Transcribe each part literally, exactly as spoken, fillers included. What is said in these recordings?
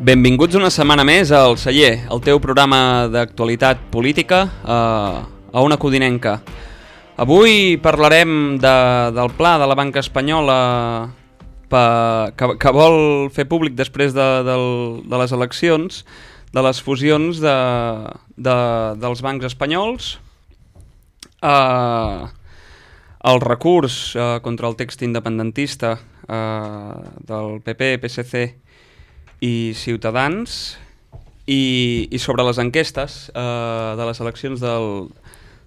Benvinguts una setmana més al Celler, el teu programa d'actualitat política eh, a Ona Codinenca. Avui parlarem de, del pla de la banca espanyola pa, que, que vol fer públic després de, de, de les eleccions, de les fusions de, de, dels bancs espanyols, eh, el recurs eh, contra el text independentista eh, del P P, P S C i Ciutadans, i, i sobre les enquestes eh, de les eleccions del,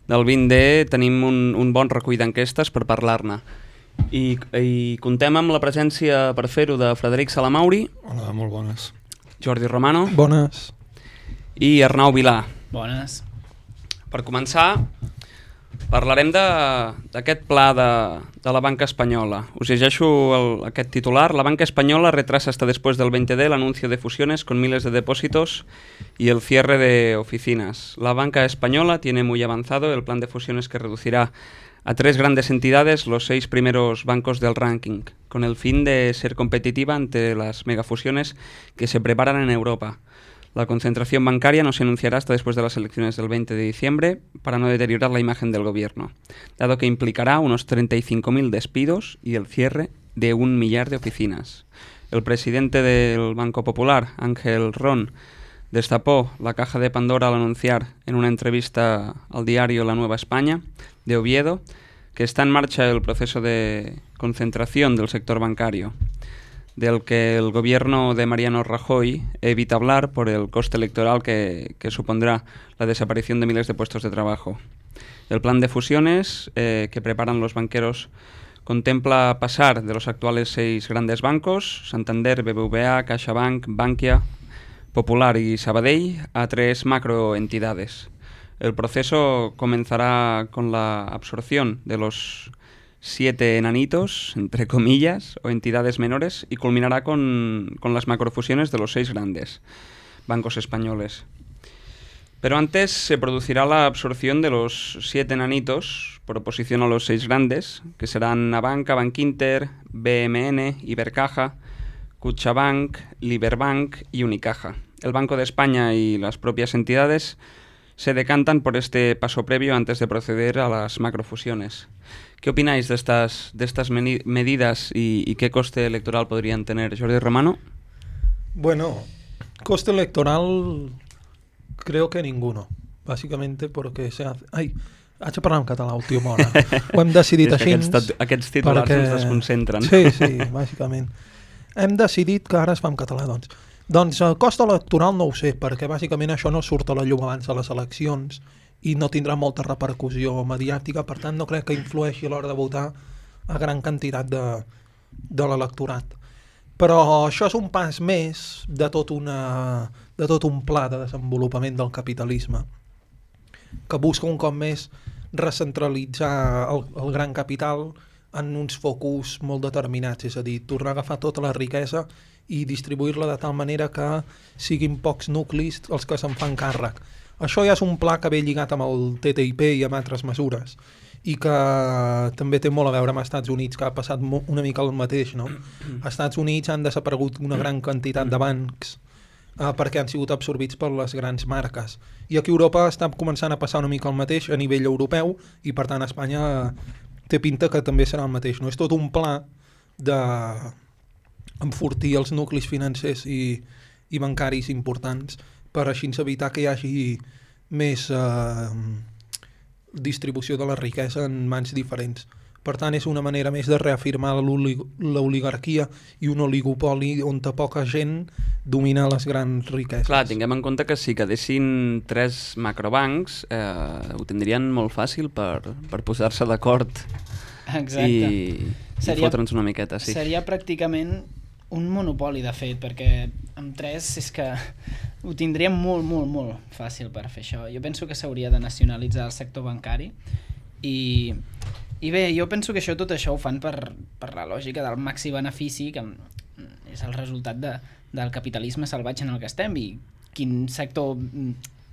del vint D tenim un, un bon recull d'enquestes per parlar-ne. I, I contem amb la presència, per fer-ho, de Frederic Salamauri. Hola, molt bones. Jordi Romano. Bones. I Arnau Vilà. Bones. Per començar, parlarem d'aquest pla de, de la banca espanyola. Us llegeixo el, aquest titular. La banca española retrasa hasta después del veinte D el anuncio de fusiones con miles de depósitos y el cierre de oficinas. La banca española tiene muy avanzado el plan de fusiones que reducirá a tres grandes entidades los seis primeros bancos del ranking, con el fin de ser competitiva ante las megafusiones que se preparan en Europa. La concentración bancaria no se anunciará hasta después de las elecciones del veinte de diciembre para no deteriorar la imagen del gobierno, dado que implicará unos treinta y cinco mil despidos y el cierre de un millar de oficinas. El presidente del Banco Popular, Ángel Ron, destapó la caja de Pandora al anunciar en una entrevista al diario La Nueva España de Oviedo que está en marcha el proceso de concentración del sector bancario, del que el gobierno de Mariano Rajoy evita hablar por el coste electoral que, que supondrá la desaparición de miles de puestos de trabajo. El plan de fusiones eh, que preparan los banqueros contempla pasar de los actuales seis grandes bancos, Santander, B B V A, CaixaBank, Bankia, Popular y Sabadell, a tres macroentidades. El proceso comenzará con la absorción de los siete enanitos, entre comillas, o entidades menores, y culminará con, con las macrofusiones de los seis grandes bancos españoles. Pero antes se producirá la absorción de los siete enanitos por oposición a los seis grandes, que serán Abanca, Bankinter, B M N, Ibercaja, Kutxabank, Liberbank y Unicaja. El Banco de España y las propias entidades se decantan por este paso previo antes de proceder a las macrofusiones. ¿Qué opináis de estas, de estas medidas y, y qué coste electoral podrían tener? Jordi Romano. Bueno, coste electoral creo que ninguno, básicamente porque se hace... Ai, haig de parlar en català, última hora. Ho hem decidit així... Aquests, aquests titulars perquè... ens desconcentren. Sí, sí, bàsicament. Hem decidit que ara es fa en català, doncs. Doncs el cost electoral no ho sé, perquè bàsicament això no surt a la llum abans de les eleccions i no tindrà molta repercussió mediàtica, per tant no crec que influeixi a l'hora de votar a gran quantitat de, de l'electorat. Però això és un pas més de tot, una, de tot un pla de desenvolupament del capitalisme, que busca un cop més recentralitzar el, el gran capital en uns focus molt determinats, és a dir, tornar a agafar tota la riquesa i distribuir-la de tal manera que siguin pocs nuclis els que se'n fan càrrec. Això ja és un pla que ve lligat amb el T T I P i amb altres mesures i que també té molt a veure amb els Estats Units, que ha passat una mica el mateix, no? Als Estats Units han desaparegut una gran quantitat de bancs eh, perquè han sigut absorbits per les grans marques. I aquí a Europa està començant a passar una mica el mateix a nivell europeu i per tant a Espanya té pinta que també serà el mateix, no? És tot un pla de enfortir els nuclis financers i, i bancaris importants per així evitar que hi hagi més eh, distribució de la riquesa en mans diferents. Per tant, és una manera més de reafirmar l'oligarquia i un oligopoli on poca gent domina les grans riqueses. Clar, tinguem en compte que si quedessin tres macrobancs eh, ho tindrien molt fàcil per, per posar-se d'acord i, i fotre'ns una miqueta. Sí. Seria pràcticament un monopoli, de fet, perquè amb tres és que ho tindríem molt, molt, molt fàcil per fer això. Jo penso que s'hauria de nacionalitzar el sector bancari i, i bé, jo penso que això tot això ho fan per, per la lògica del màxim benefici, que és el resultat de, del capitalisme salvatge en el que estem, i quin sector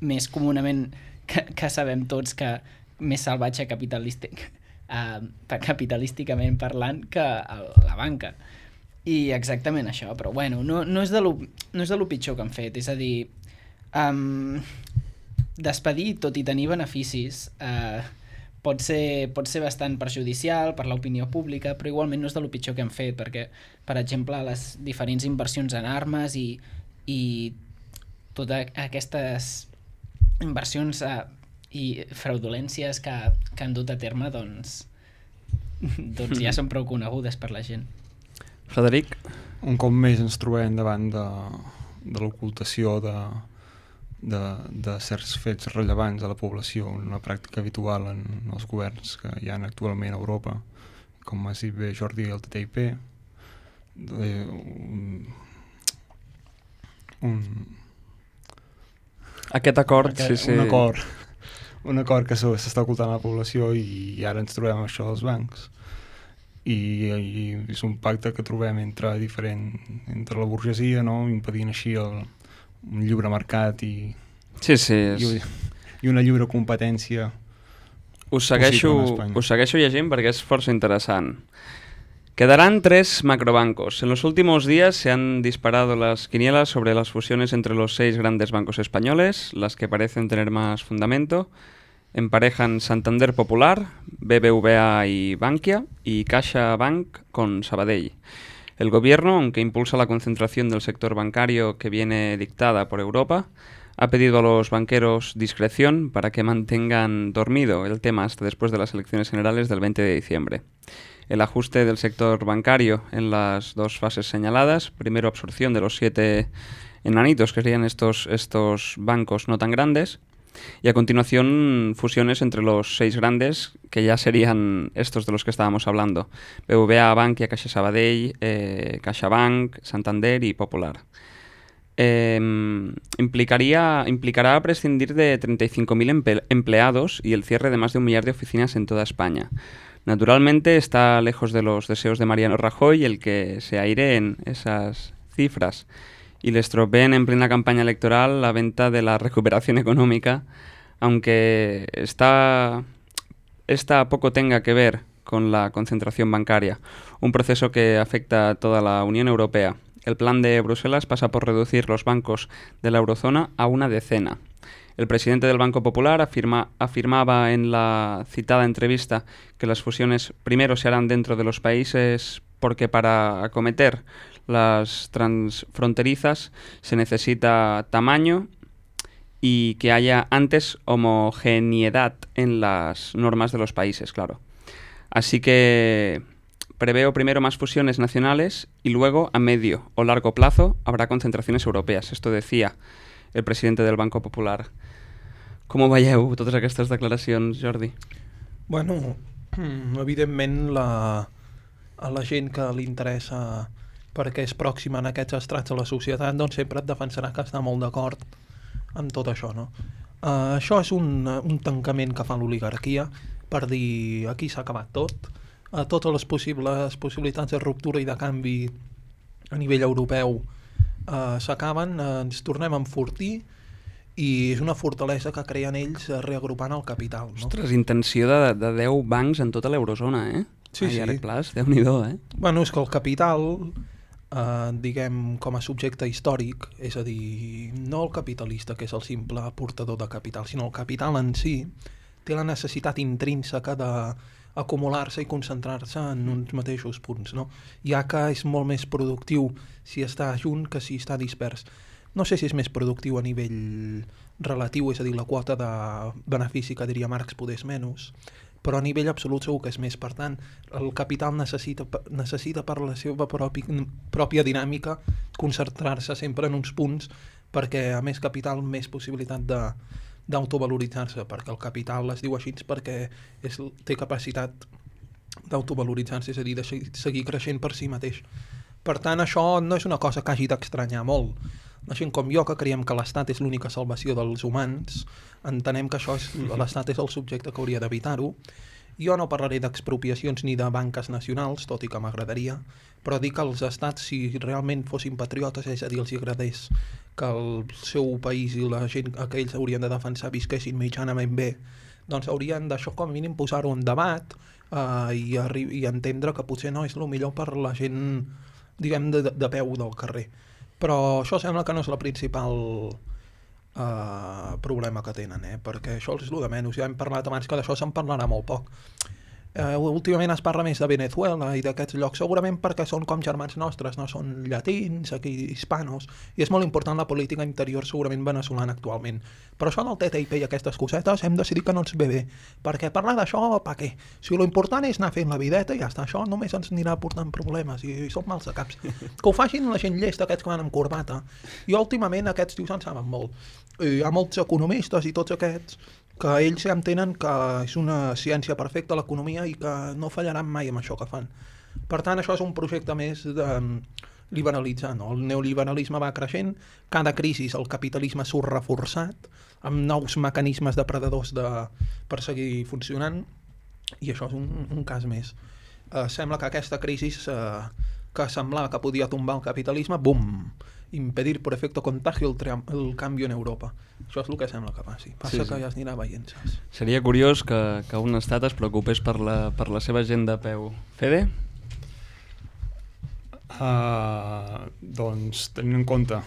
més comunament que, que sabem tots que més salvatge capitalístic, eh, capitalísticament parlant que el, la banca. I exactament això, però bueno, no, no, és de lo, no és de lo pitjor que han fet, és a dir, um, despedir, tot i tenir beneficis, uh, pot ser, pot ser bastant perjudicial per l'opinió pública, però igualment no és de lo pitjor que han fet, perquè, per exemple, les diferents inversions en armes i, i totes aquestes inversions uh, i fraudulències que, que han dut a terme, doncs, doncs ja són prou conegudes per la gent. Frederic? Un cop més ens trobem davant de, de l'ocultació de, de, de certs fets rellevants a la població, una pràctica habitual en els governs que hi ha actualment a Europa, com has dit bé Jordi, el T T I P, de, un, un... Aquest acord, Aquest, sí, sí. Un acord, un acord que s'està ocultant a la població i, i ara ens trobem amb això dels bancs. I, i és un pacte que trobem entre diferent, entre la burgesia, no? Impedint així el, un lliure mercat i, sí, sí, és... i, i una lliure competència. Us segueixo, us segueixo llegint perquè és força interessant. Quedarán tres macrobancos. En los últimos días se han disparado las quinielas sobre las fusiones entre los seis grandes bancos españoles, las que parecen tener más fundamento. Emparejan Santander Popular, B B V A y Bankia, y CaixaBank con Sabadell. El gobierno, aunque impulsa la concentración del sector bancario que viene dictada por Europa, ha pedido a los banqueros discreción para que mantengan dormido el tema hasta después de las elecciones generales del veinte de diciembre. El ajuste del sector bancario en las dos fases señaladas, primero absorción de los siete enanitos que serían estos, estos bancos no tan grandes, y a continuación fusiones entre los seis grandes, que ya serían estos de los que estábamos hablando: B B V A, Bankia, Caixa Sabadell, eh, CaixaBank, Santander y Popular. Eh, implicaría, implicará prescindir de treinta y cinco mil emple- empleados y el cierre de más de un millar de oficinas en toda España. Naturalmente está lejos de los deseos de Mariano Rajoy el que se aireen esas cifras y le estropeen en plena campaña electoral la venta de la recuperación económica, aunque esta, esta poco tenga que ver con la concentración bancaria, un proceso que afecta a toda la Unión Europea. El plan de Bruselas pasa por reducir los bancos de la eurozona a una decena. El presidente del Banco Popular afirma, afirmaba en la citada entrevista que las fusiones primero se harán dentro de los países porque para acometer las transfronterizas se necesita tamaño y que haya antes homogeneidad en las normas de los países, claro. Así que preveo primero más fusiones nacionales y luego a medio o largo plazo habrá concentraciones europeas. Esto decía el presidente del Banco Popular. Com ho veieu, totes aquestes declaracions, Jordi? Bueno, evidentment la, a la gent que li interessa perquè és pròxima en aquests estrats de la societat, doncs sempre et defensarà que està molt d'acord amb tot això, no? Uh, això és un, un tancament que fa l'oligarquia per dir aquí s'ha acabat tot. Uh, totes les possibles possibilitats de ruptura i de canvi a nivell europeu uh, s'acaben, uh, ens tornem a enfortir i és una fortalesa que creen ells reagrupant el capital, no? Ostres, intenció de, de deu bancs en tota l'eurozona, eh? Sí, a llarg sí. plaç, Déu-n'hi-do, eh? Bueno, és que el capital, eh, diguem, com a subjecte històric, és a dir, no el capitalista, que és el simple portador de capital, sinó el capital en si, té la necessitat intrínseca d'acumular-se i concentrar-se en uns mateixos punts, no? Ja que és molt més productiu si està junt que si està dispers. No sé si és més productiu a nivell relatiu, és a dir, la quota de benefici que diria Marx podés menys, però a nivell absolut segur que és més. Per tant, el capital necessita, necessita per la seva propi, pròpia dinàmica concentrar-se sempre en uns punts, perquè a més capital, més possibilitat de, d'autovaloritzar-se, perquè el capital es diu així perquè és, té capacitat d'autovaloritzar-se, és a dir, de seguir creixent per si mateix. Per tant, això no és una cosa que hagi d'estranyar molt. La gent com jo, que creiem que l'Estat és l'única salvació dels humans, entenem que això és, l'Estat és el subjecte que hauria d'evitar-ho. Jo no parlaré d'expropiacions ni de banques nacionals, tot i que m'agradaria, però dic que els estats, si realment fossin patriotes, és a dir, els agradés que el seu país i la gent que ells haurien de defensar visquessin mitjanament bé, doncs haurien d'això com a mínim posar-ho en debat eh, i, i entendre que potser no és el millor per la gent diguem, de, de peu del carrer. Però això sembla que no és la principal uh, problema que tenen, eh? Perquè això és el de menys. Ja hem parlat abans que d'això se'n parlarà molt poc. Uh, últimament es parla més de Venezuela i d'aquests llocs, segurament perquè són com germans nostres, no són llatins, aquí hispanos, i és molt important la política interior segurament veneçolana actualment. Però això del T T I P i aquestes cosetes hem decidit que no ens ve bé, perquè parlar d'això, pa què? Si lo important és anar fent la videta i ja està, això només ens anirà portant problemes i, i som mals de caps. Que ho facin la gent llesta, aquests que van amb corbata. I últimament aquests tios en saben molt. I hi ha molts economistes i tots aquests que ells ja entenen que és una ciència perfecta l'economia i que no fallaran mai amb això que fan. Per tant, això és un projecte més de liberalitzar, no? El neoliberalisme va creixent, cada crisi el capitalisme surt reforçat, amb nous mecanismes depredadors de, per seguir funcionant, i això és un, un cas més. Eh, sembla que aquesta crisi eh, que semblava que podia tombar el capitalisme, bum! Impedir por efecto contagio el, tra- el canvi en Europa. Això és el que sembla que passi. Passa sí, sí. que ja es anirà veient, saps? Seria curiós que, que un estat es preocupés per la, per la seva gent de peu. Fede? Uh, doncs, tenint en compte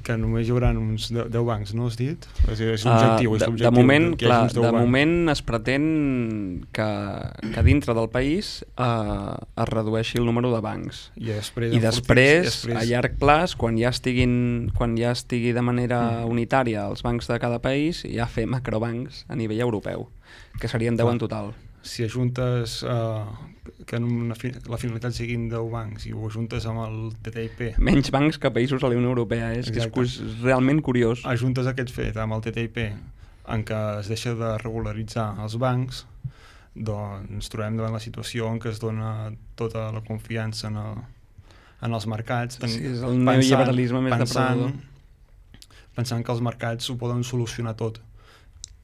que només hi haurà uns deu bancs, no has dit? És, és l'objectiu, uh, és l'objectiu. De moment, clar, de bancs. moment es pretén que, que dintre del país uh, es redueixi el número de bancs. I després, I després, després, a llarg plaç, quan ja, estiguin, quan ja estigui de manera mm. unitària els bancs de cada país, ja fer macrobancs a nivell europeu, que serien deu en total. Si ajuntes uh, que una fi la finalitat siguin deu bancs i ho ajuntes amb el T T I P... Menys bancs que països a la Unió Europea, eh? És, que és realment curiós. Ajuntes aquest fet amb el T T I P en què es deixa de regularitzar els bancs, doncs ens trobem davant la situació en què es dona tota la confiança en, el, en els mercats. Sí, és el neoliberalisme més depredador. Pensant que els mercats ho poden solucionar tot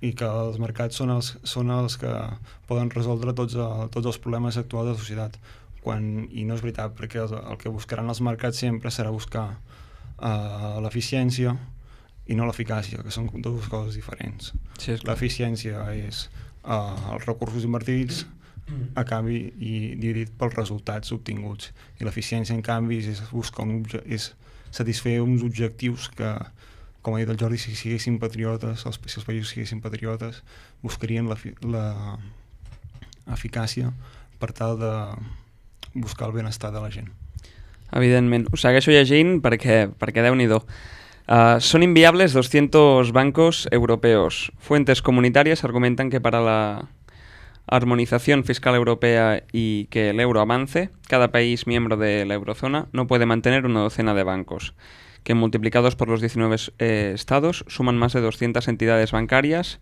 i que els mercats són els, són els que poden resoldre tots, el, tots els problemes actuals de la societat. Quan, i no és veritat, perquè el, el que buscaran els mercats sempre serà buscar uh, l'eficiència i no l'eficàcia, que són dues coses diferents. Sí, l'eficiència és uh, els recursos invertits a canvi i dividit pels resultats obtinguts, i l'eficiència en canvi és buscar un és satisfer uns objectius que, com ha dit el Jordi, si siguessin patriotes, els, si els països siguessin patriotes, buscarien l'eficàcia per tal de buscar el benestar de la gent. Evidentment. Ho segueixo llegint perquè, perquè Déu-n'hi-do. Uh, son inviables doscientos bancos europeos. Fuentes comunitarias argumentan que para la armonización fiscal europea y que el euro avance, cada país miembro de la eurozona no puede mantener una docena de bancos, que multiplicados por los diecinueve eh, estados suman más de doscientas entidades bancarias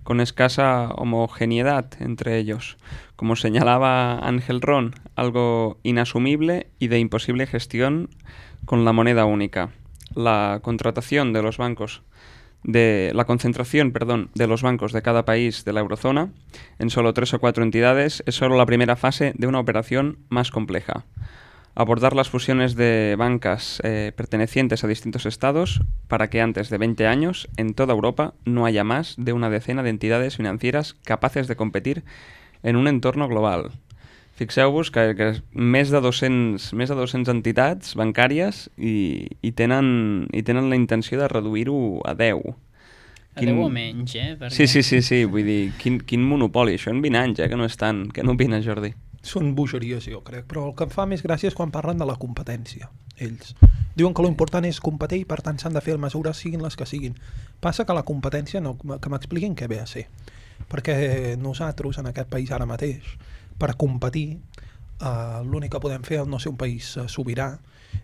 con escasa homogeneidad entre ellos. Como señalaba Ángel Ron, algo inasumible y de imposible gestión con la moneda única. La contratación de los bancos de la concentración, perdón, de los bancos de cada país de la eurozona en solo tres o cuatro entidades es solo la primera fase de una operación más compleja. Abordar las fusiones de bancas eh, pertenecientes a distintos estados para que antes de veinte años en toda Europa no haya más de una decena de entidades financieras capaces de competir en un entorno global. Fixeu-vos que, que més de dos-cents, més de dos-cents entitats bancàries i, i, tenen, i tenen la intenció de reduir-ho a deu. A quin... deu o menys, eh? Perquè... Sí, sí, sí, sí, vull dir, quin, quin monopoli, això en vint anys, eh, que no és tant. Què n'opines, Jordi? Són bogeries, jo crec, però el que em fa més gràcia és quan parlen de la competència, ells. Diuen que l'important és competir i per tant s'han de fer mesures siguin les que siguin. Passa que la competència, no, que m'expliquin què ve a ser. Perquè nosaltres en aquest país ara mateix, per competir, eh, l'únic que podem fer és no ser un país eh, sobirà.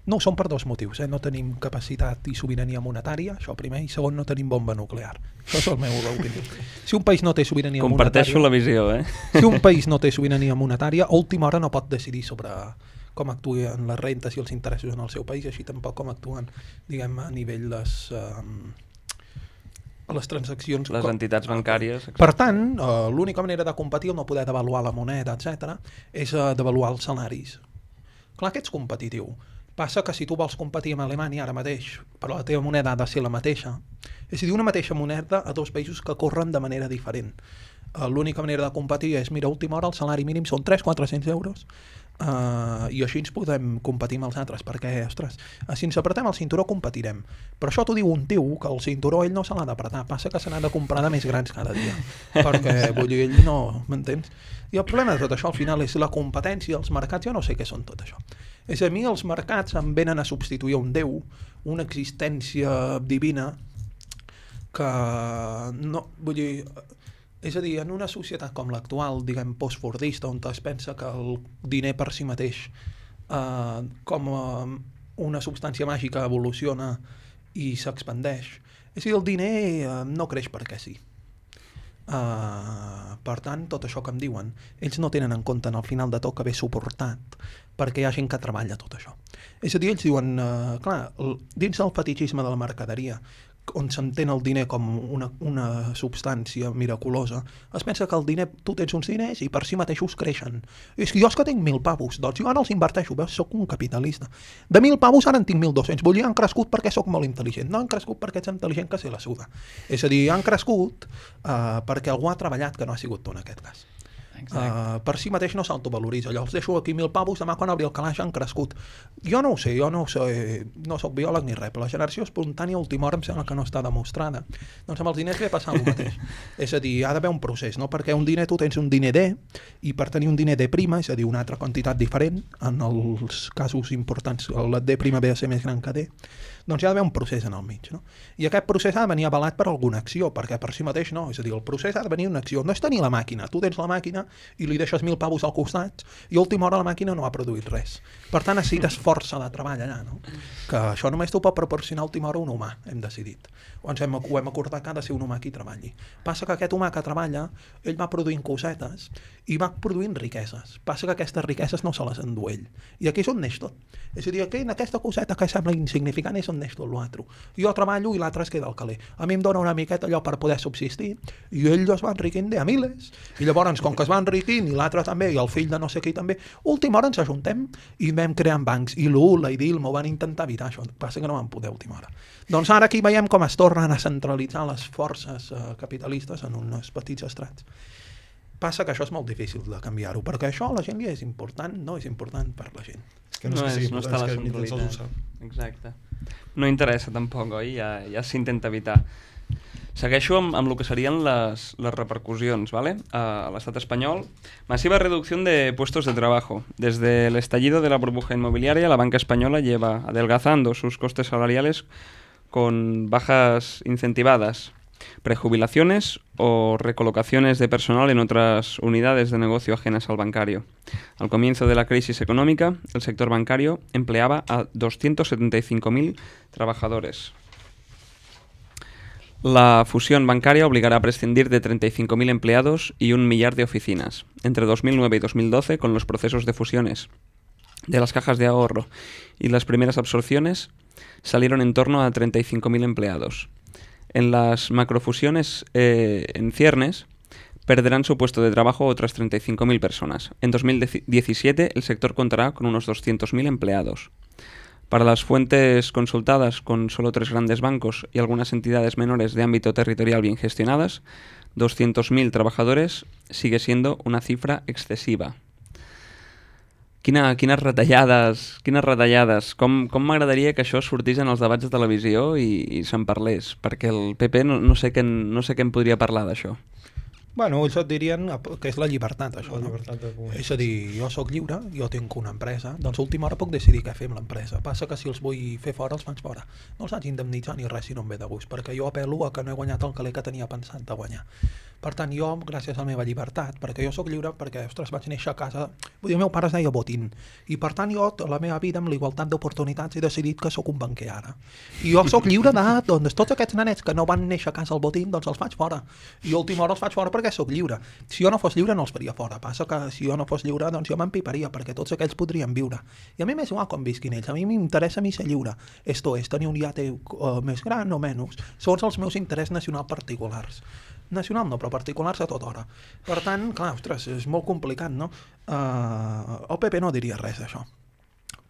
No, són per dos motius, eh? No tenim capacitat i sobirania monetària, això primer, i segon, no tenim bomba nuclear. Això és el meu opinió. Si un país no té sobirania Comparteixo monetària... Comparteixo la visió, eh? Si un país no té sobirania monetària, a última hora no pot decidir sobre com actuen les rentes i els interessos en el seu país, així tampoc com actuen, diguem, a nivell les... Eh, les transaccions... Les entitats bancàries... Per tant, eh, l'única manera de competir, no poder devaluar la moneda, etcètera, és eh, devaluar els salaris. Clar que ets competitiu. Passa que si tu vols competir amb Alemanya ara mateix, però la teva moneda ha de ser la mateixa, és a dir, una mateixa moneda a dos països que corren de manera diferent. Uh, l'única manera de competir és, mira, a última hora el salari mínim són tres cents a quatre-cents euros, Uh, i així ens podem competir amb els altres, perquè, ostres, si ens apretem el cinturó competirem, però això t'ho diu un tio que el cinturó ell no se l'ha d'apretar, passa que se n'ha de comprar de més grans cada dia, perquè vull dir, ell no, m'entens? I el problema de tot això al final és la competència, els mercats, jo no sé què són tot això. És a mi els mercats em venen a substituir un Déu, una existència divina que no, vull dir, és a dir, en una societat com l'actual, diguem, postfordista, on es pensa que el diner per si mateix eh, com eh, una substància màgica evoluciona i s'expandeix. És a dir, el diner eh, no creix perquè sí. Uh, per tant, tot això que em diuen, ells no tenen en compte en el final de tot que ve suportat perquè hi ha gent que treballa tot això. És a dir, ells diuen, uh, clar, el, dins del fetichisme de la mercaderia, on s'entén el diner com una, una substància miraculosa, es pensa que el diner, tu tens uns diners i per si mateixos creixen. És que jo és que tinc mil pavos, doncs jo ara els inverteixo, veus, soc un capitalista. De mil pavos ara en tinc mil dos-cents, vull dir, han crescut perquè sóc molt intel·ligent, no han crescut perquè ets intel·ligent que se la suda. És a dir, han crescut uh, perquè algú ha treballat, que no ha sigut tu en aquest cas. Uh, per si mateix no s'autovaloritza, allò els deixo aquí mil pavos, demà quan obri el calaix han crescut. Jo no ho sé, jo no ho sé, no soc biòleg ni res, però la generació espontània a última hora em sembla que no està demostrada. Doncs amb els diners ve passant el mateix. És a dir, ha d'haver un procés, no? Perquè un diner tu tens un diner D, i per tenir un diner D', és a dir, una altra quantitat diferent, en els casos importants el D' ve a ser més gran que D, doncs hi ha d'haver un procés en el mig, no? I aquest procés ha de venir avalat per alguna acció, perquè per si mateix no, és a dir, el procés ha de venir una acció, no és tenir la màquina, tu tens la màquina i li deixes mil pavos al costat i a última hora la màquina no ha produït res. Per tant, necessites força de treball allà, no? Que això només t'ho pot proporcionar a última hora un humà, hem decidit. O ens hem, ho hem acordat que ha de ser un humà qui treballi. Passa que aquest humà que treballa, ell va produint cosetes i va produint riqueses. Passa que aquestes riqueses no se les endú ell. I aquí és on neix tot. És a dir, aquí en aquesta coseta que sembla insignificant és on neix tot l'altre. Jo treballo i l'altre es queda al caler. A mi em dona una miqueta allò per poder subsistir i ell es va enriquint de a miles. I llavors, com que es va enriquint i l'altre també i el fill de no sé qui també, última hora ens ajuntem i vam creant bancs. I l'U, la I D I L m'ho van intentar evitar això. Passa que no van poder a última hora. Doncs ara aquí veiem com es tornen a centralitzar les forces eh, capitalistes en uns petits estrats. Passa que això és molt difícil de canviar-ho, perquè això a la gent li és important, no és important per la gent. És que no, no, és, és, no està la centralitat. Exacte. No interessa tampoc, oi? Ja, ja s'intenta evitar. Segueixo amb, amb el que serien les, les repercusions, ¿vale? A l'estat espanyol. Masiva reducción de puestos de trabajo. Desde el estallido de la burbuja inmobiliaria, la banca española lleva adelgazando sus costes salariales con bajas incentivadas, prejubilaciones o recolocaciones de personal en otras unidades de negocio ajenas al bancario. Al comienzo de la crisis económica, el sector bancario empleaba a doscientos setenta y cinco mil trabajadores. La fusión bancaria obligará a prescindir de treinta y cinco mil empleados y un millar de oficinas entre dos mil nueve y dos mil doce con los procesos de fusiones de las cajas de ahorro y las primeras absorciones salieron en torno a treinta y cinco mil empleados. En las macrofusiones eh, en ciernes perderán su puesto de trabajo otras treinta y cinco mil personas. En dos mil diecisiete el sector contará con unos doscientos mil empleados. Para las fuentes consultadas con solo tres grandes bancos y algunas entidades menores de ámbito territorial bien gestionadas, doscientos mil trabajadores sigue siendo una cifra excesiva. Quina, quines retallades, quines retallades. Com, com m'agradaria que això sortís en els debats de televisió i, i se'n parlés, perquè el P P no, no, sé què, no sé què en podria parlar d'això. Bueno, ells et dirien que és la llibertat, això, la no? Llibertat de és a dir, jo sóc lliure, jo tinc una empresa, doncs a última hora puc decidir què fer amb l'empresa. Passa que si els vull fer fora, els faig fora. No els haig d'indemnitzar ni res si no em ve de gust, perquè jo apel·lo a que no he guanyat el caler que tenia pensat de guanyar. Per tant, jo, gràcies a la meva llibertat, perquè jo sóc lliure, perquè, ostres, vaig néixer a casa, vull dir, el meu pare es deia Botín, i per tant jo, tota la meva vida, amb la igualtat d'oportunitats, he decidit que sóc un banquer ara. I jo sóc lliure de, doncs, tots aquests nanets que no van néixer a casa al Botín, doncs els faig fora. I a última hora els faig fora perquè sóc lliure. Si jo no fos lliure no els faria fora. Passa que si jo no fos lliure, doncs jo m'empiparia, perquè tots aquells podrien viure. I a mi m'és igual com visquin ells. A mi m'interessa a mi ser lliure. Esto és tenir un iate uh, més gran o menys. Són els meus interessos nacionals particulars. Nacional no, però particulars a tota hora. Per tant, clar, ostres, és molt complicat, no? Uh, el P P no diria res d'això.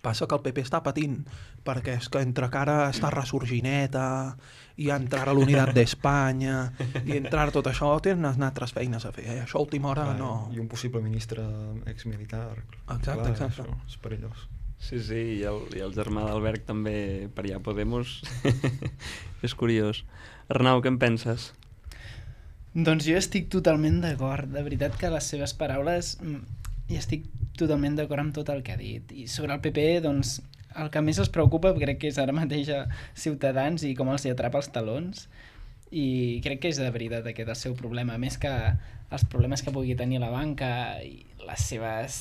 Passa que el P P està patint, perquè és que entre cara està ressorgineta, i entrar a l'Unitat d'Espanya, i entrar tot això, tenen altres feines a fer. Eh? Això a última hora Clar, no... I un possible ministre exmilitar. Exacte, Clar, exacte. Això és perillós. Sí, sí, i el, i el germà d'Albert també per allà Podemos. És curiós. Arnau, què en penses? Doncs jo estic totalment d'acord. De veritat que les seves paraules i estic totalment d'acord amb tot el que ha dit. I sobre el P P, doncs, el que més els preocupa crec que és ara mateix a Ciutadans i com els hi atrapa els talons, i crec que és de veritat aquest el seu problema, més que els problemes que pugui tenir la banca i les seves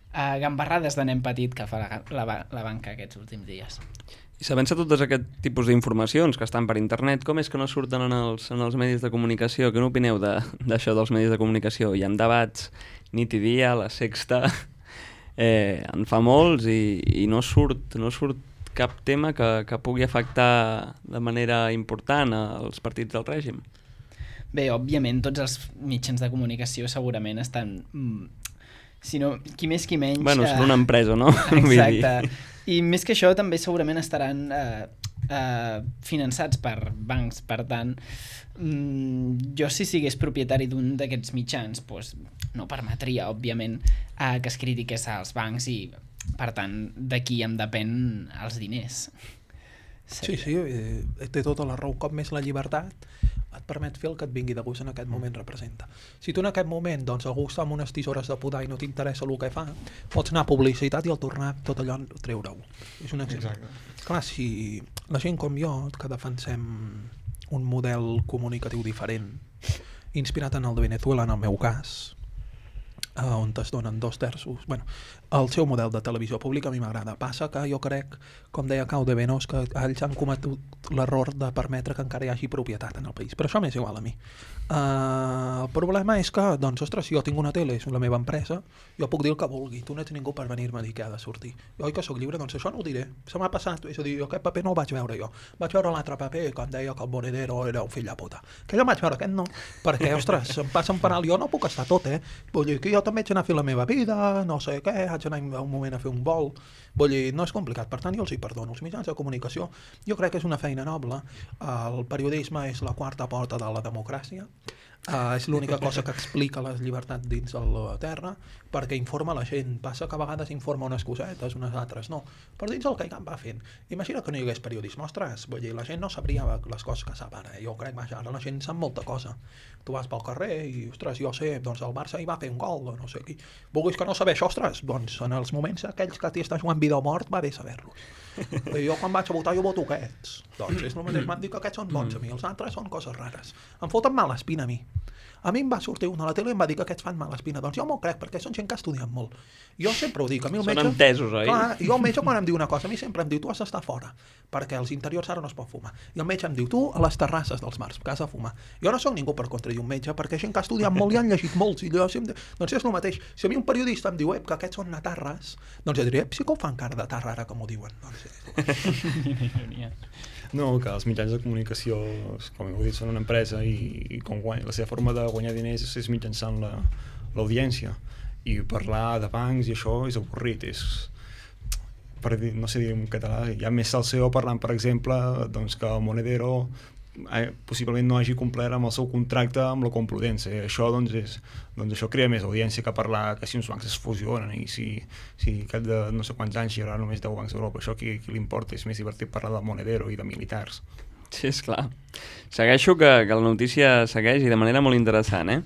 uh, gambarrades de nen petit que fa la, la, la banca aquests últims dies. I sabent-se totes aquest tipus d'informacions que estan per internet, com és que no surten en els, en els medis de comunicació? Què n'opineu d'això de, dels medis de comunicació? Hi ha debats nit i dia, la Sexta, eh, en fa molts i, i no surt, no surt cap tema que, que pugui afectar de manera important als partits del règim. Bé, òbviament, tots els mitjans de comunicació segurament estan... Si no, qui més qui menys... Bueno, són una empresa, no? Exacte. I més que això també segurament estaran eh, eh, finançats per bancs, per tant mm, jo si sigués propietari d'un d'aquests mitjans doncs no permetria, òbviament, eh, que es critiqués als bancs i per tant d'aquí em depèn els diners. Sí, sí, eh, té tota la raó. Cop més la llibertat et permet fer el que et vingui de gust en aquest moment representa. Si tu en aquest moment doncs, algú està amb unes tisores de podar i no t'interessa el que fa, pots anar a publicitat i al tornar tot allò treure-ho. És un exemple. Exacte. Clar, si la gent com jo, que defensem un model comunicatiu diferent, inspirat en el de Venezuela, en el meu cas, eh, on es donen dos terços... Bueno, el seu model de televisió pública a mi m'agrada. Passa que jo crec, com deia Caude Venós, que ells han cometut l'error de permetre que encara hi hagi propietat en el país. Però això m'és igual a mi. Uh, el problema és que, doncs, ostres, si jo tinc una tele, és la meva empresa, jo puc dir el que vulgui. Tu no ets ningú per venir-me a dir que ha de sortir. Jo, oi que sóc lliure? Doncs això no ho diré. Se m'ha passat. És a dir, jo aquest paper no el vaig veure jo. Vaig veure l'altre paper que em deia que el Monedero era un fill de puta. Que jo vaig veure aquest no. Perquè, ostres, em passa un penal. Jo no puc estar tot, eh? Vull dir que jo també haig d'anar a fer la meva vida, no sé què, haig d'anar un moment a fer un vol. Vull dir, no és complicat. Per tant, jo els hi perdono. Els mitjans de comunicació, jo crec que és una feina noble. El periodisme és la quarta porta de la democràcia. Uh, és l'única cosa que explica les llibertats dins de la terra, perquè informa la gent. Passa que a vegades informa unes cosetes, unes altres no, però dins el que hi va fent. Imagina que no hi hagués periodisme, ostres, vull dir, la gent no sabria les coses que sap ara. Jo crec que ara la gent sap molta cosa. Tu vas pel carrer i, ostres, jo sé, doncs el Barça hi va fer un gol, o no sé qui. Vulguis que no saber això, ostres, doncs en els moments aquells que t'hi està jugant vida o mort, va bé saber-los. Jo quan vaig a votar jo voto aquests, doncs és el mateix, m'han dit que aquests són bons a mi, els altres són coses rares, em foten mala espina a mi. A mi em va sortir un a la tele i em va dir que aquests fan mala espina. Doncs jo m'ho crec, perquè són gent que ha estudiat molt. Jo sempre ho dic. A mi el metge... Són entesos, oi? Clar, jo el metge quan em diu una cosa, a mi sempre em diu, tu has d'estar fora, perquè als interiors ara no es pot fumar. I el metge em diu, tu a les terrasses dels mars, que has de fumar. Jo no sóc ningú per contradir un metge, perquè gent que ha estudiat molt i han llegit molts. I jo, si em... Doncs és el mateix. Si a mi un periodista em diu, ep, que aquests són natarres, doncs jo diré, ep, sí que ho fan cara de tarra ara, com ho diuen. Doncs, no, que els mitjans de comunicació, com heu dit, són una empresa i, i com guany, la seva forma de guanyar diners és, és mitjançant l'audiència. I parlar de bancs i això és avorrit, és... Per dir, no sé dir en català, hi ha més salseo parlant, per exemple, doncs, que el Monedero eh, possiblement no hagi complert amb el seu contracte amb la Complutense. Això, doncs, és, doncs, això crea més audiència que parlar que si uns bancs es fusionen i si, si cap de no sé quants anys hi haurà només deu bancs d'Europa. Això qui, qui li importa? És més divertit parlar del Monedero i de militars. Sí, és clar. Segueixo que, que la notícia segueix i de manera molt interessant, eh?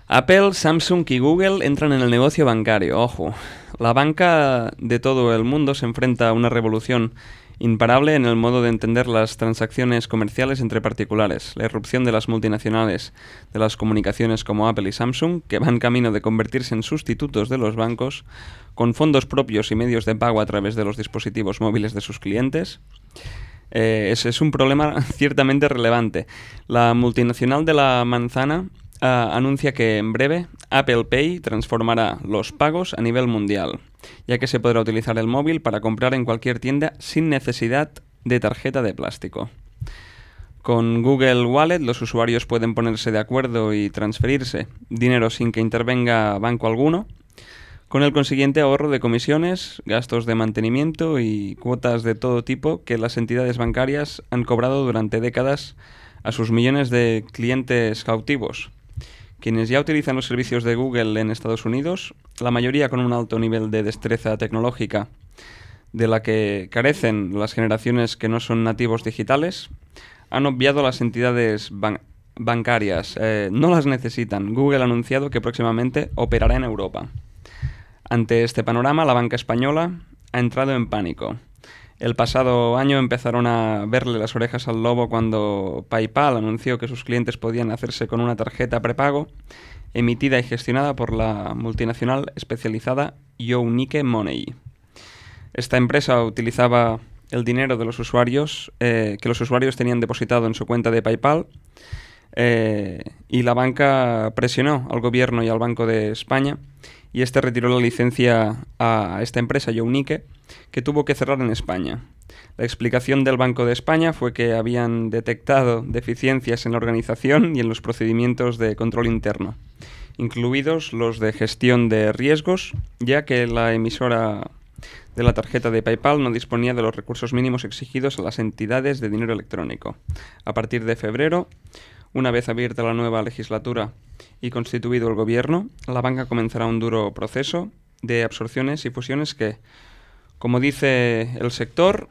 Apple, Samsung y Google entran en el negocio bancario. Ojo, la banca de todo el mundo se enfrenta a una revolución imparable en el modo de entender las transacciones comerciales entre particulares. La irrupción de las multinacionales de las comunicaciones como Apple y Samsung, que van camino de convertirse en sustitutos de los bancos, con fondos propios y medios de pago a través de los dispositivos móviles de sus clientes. Eh, es, es un problema ciertamente relevante. La multinacional de la manzana Uh, anuncia que en breve Apple Pay transformará los pagos a nivel mundial, ya que se podrá utilizar el móvil para comprar en cualquier tienda sin necesidad de tarjeta de plástico. Con Google Wallet los usuarios pueden ponerse de acuerdo y transferirse dinero sin que intervenga banco alguno. con el consiguiente ahorro de comisiones, gastos de mantenimiento y cuotas de todo tipo que las entidades bancarias han cobrado durante décadas a sus millones de clientes cautivos. Quienes ya utilizan los servicios de Google en Estados Unidos, la mayoría con un alto nivel de destreza tecnológica de la que carecen las generaciones que no son nativos digitales, han obviado las entidades ban- bancarias. Eh, no las necesitan. Google ha anunciado que próximamente operará en Europa. Ante este panorama, la banca española ha entrado en pánico. El pasado año empezaron a verle las orejas al lobo cuando PayPal anunció que sus clientes podían hacerse con una tarjeta prepago emitida y gestionada por la multinacional especializada YouNike Money. Esta empresa utilizaba el dinero de los usuarios eh, que los usuarios tenían depositado en su cuenta de PayPal eh, y la banca presionó al gobierno y al Banco de España y este retiró la licencia a esta empresa, YouNike, que tuvo que cerrar en España. La explicación del Banco de España fue que habían detectado deficiencias en la organización y en los procedimientos de control interno, incluidos los de gestión de riesgos, ya que la emisora de la tarjeta de PayPal no disponía de los recursos mínimos exigidos a las entidades de dinero electrónico. A partir de febrero, una vez abierta la nueva legislatura y constituido el gobierno, la banca comenzará un duro proceso de absorciones y fusiones que, como dice el sector,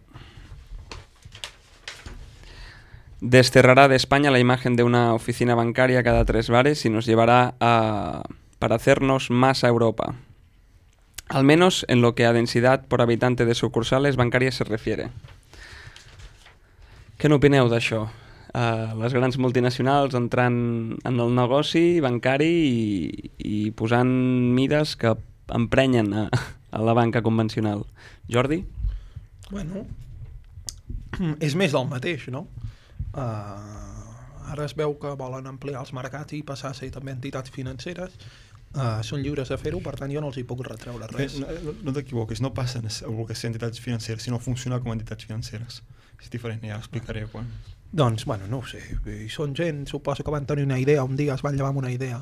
desterrará de España la imagen de una oficina bancaria cada tres bares y nos llevará a parecernos más a Europa. Al menos en lo que a densidad por habitante de sucursales bancàries se refiere. Què n'opineu d'això? Uh, les grans multinacionals entrant en el negoci bancari i, i posant mides que emprenyen a, a la banca convencional. Jordi? Bueno, és més del mateix, no? Uh, ara es veu que volen ampliar els mercats i passar a ser també entitats financeres. Uh, són lliures de fer-ho, per tant jo no els hi puc retreure res. No, no, no t'equivoquis, no passen a voler ser entitats financeres, sinó a funcionar com a entitats financeres. És diferent, ja l'explicaré quan... Doncs, bueno, no ho sé. I són gent, suposo que van tenir una idea, un dia es van llevar amb una idea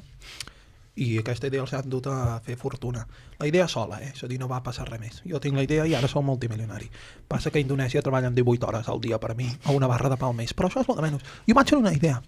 i aquesta idea els ha dut a fer fortuna. La idea sola, eh? És a dir, no va passar res més. Jo tinc la idea i ara soc multimilionari. Passa que a Indonèsia treballen divuit hores al dia per mi, a una barra de pa al mes, però això és molt de menys. Jo vaig tenir una idea.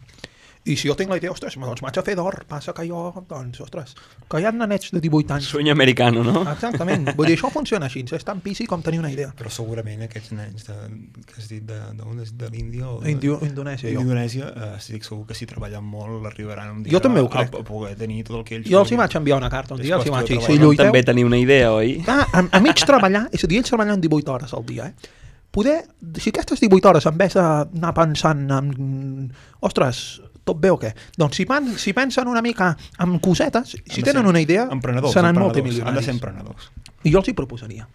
I si jo tinc la idea, ostres, doncs vaig a fer d'or. Passa que jo, doncs, ostres, que hi ha nanets de divuit anys. Sueño americano, no? Exactament. Vull dir, això funciona així. És tan pisi com tenir una idea. Però segurament aquests nens de, que has dit de, de, de, de l'Índia o de, Indio, Indonèsia, jo. Indonèsia, eh, estic segur que si treballen molt arribaran un dia jo també ho crec. a, a poder tenir tot el que ells... Jo els hi vaig enviar una carta un dia, els hi vaig dir, si lluiteu... lluiteu... També tenir una idea, oi? Ah, a, a mig treballar, és a dir, ells treballen divuit hores al dia, eh? Poder, si aquestes divuit hores en vez d'anar pensant en... Ostres, tot bé o què? Doncs si, van, si pensen una mica en cosetes, si tenen una idea, seran multimilionaris. Han de ser emprenedors. I jo els hi proposaria.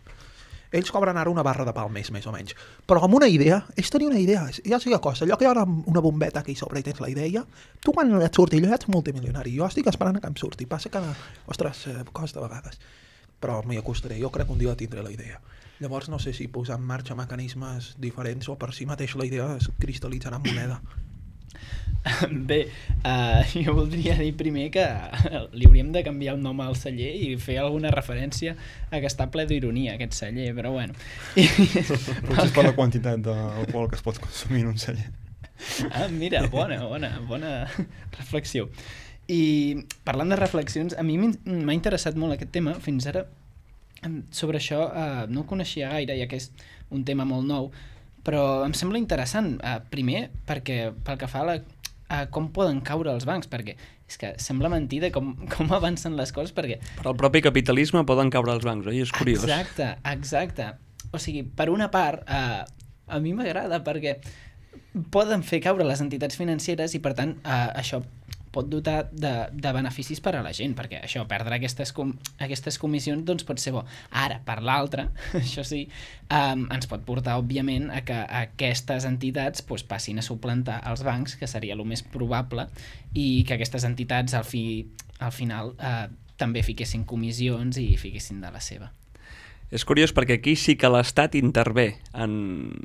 Ells cobren ara una barra de pa al mes, més o menys. Però amb una idea, és tenir una idea. Ja sé que costa. Allò que hi ha una bombeta aquí sobre i tens la idea, tu quan et surti allò ets multimilionari. Jo estic esperant que em surti. Passa que, ostres, costa a vegades. Però m'hi acostaré. Jo crec que un dia tindré la idea. Llavors no sé si posar en marxa mecanismes diferents o per si mateix la idea es cristal·litzarà en moneda. Bé, uh, jo voldria dir primer que li hauríem de canviar un nom al celler i fer alguna referència a que està ple d'ironia aquest celler, però bueno. Potser és per la quantitat d'alcohol que es pot consumir en un celler. Ah, mira, bona, bona, bona reflexió. I parlant de reflexions, a mi m'ha interessat molt aquest tema. Fins ara sobre això uh, no ho coneixia gaire, ja que és un tema molt nou, però em sembla interessant, uh, primer perquè pel que fa a, la, a com poden caure els bancs, perquè és que sembla mentida com, com avancen les coses, perquè... Per al propi capitalisme poden caure els bancs, oi? És curiós. Exacte, exacte. O sigui, per una part, uh, a mi m'agrada perquè poden fer caure les entitats financeres i per tant uh, això pot dotar de, de beneficis per a la gent, perquè això, perdre aquestes, com, aquestes comissions doncs pot ser bo. Ara, per l'altra, això sí, um, ens pot portar, òbviament, a que aquestes entitats doncs, passin a suplantar els bancs, que seria el més probable, i que aquestes entitats al, fi, al final eh, també fiquessin comissions i fiquessin de la seva. És curiós perquè aquí sí que l'Estat intervé en,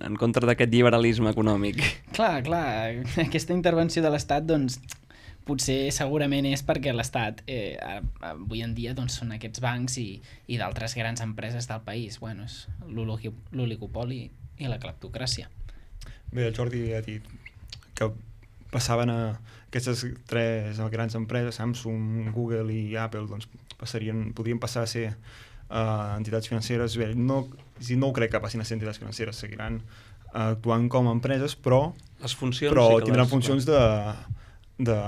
en contra d'aquest liberalisme econòmic. Clar, clar, aquesta intervenció de l'Estat, doncs, potser segurament és perquè l'Estat eh, avui en dia doncs, són aquests bancs i, i d'altres grans empreses del país. Bueno, és l'oligopoli i la cleptocràcia. Bé, el Jordi ha dit que passaven a aquestes tres grans empreses, Samsung, Google i Apple, doncs passarien, podrien passar a ser uh, entitats financeres. Bé, no, no crec que passin a ser entitats financeres, seguiran uh, actuant com a empreses, però, les funcions però sí que tindran les... funcions de, de,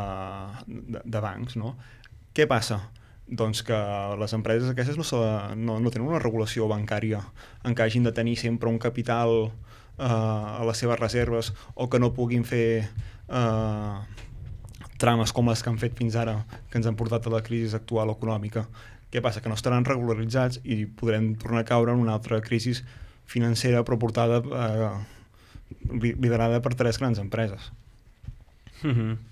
de, de bancs, no? Què passa? Doncs que les empreses aquestes no, no, no tenen una regulació bancària en què hagin de tenir sempre un capital uh, a les seves reserves o que no puguin fer uh, trames com les que han fet fins ara, que ens han portat a la crisi actual econòmica. Què passa? Que no estaran regularitzats i podrem tornar a caure en una altra crisi financera però portada, eh, liderada per tres grans empreses. Mm-hmm.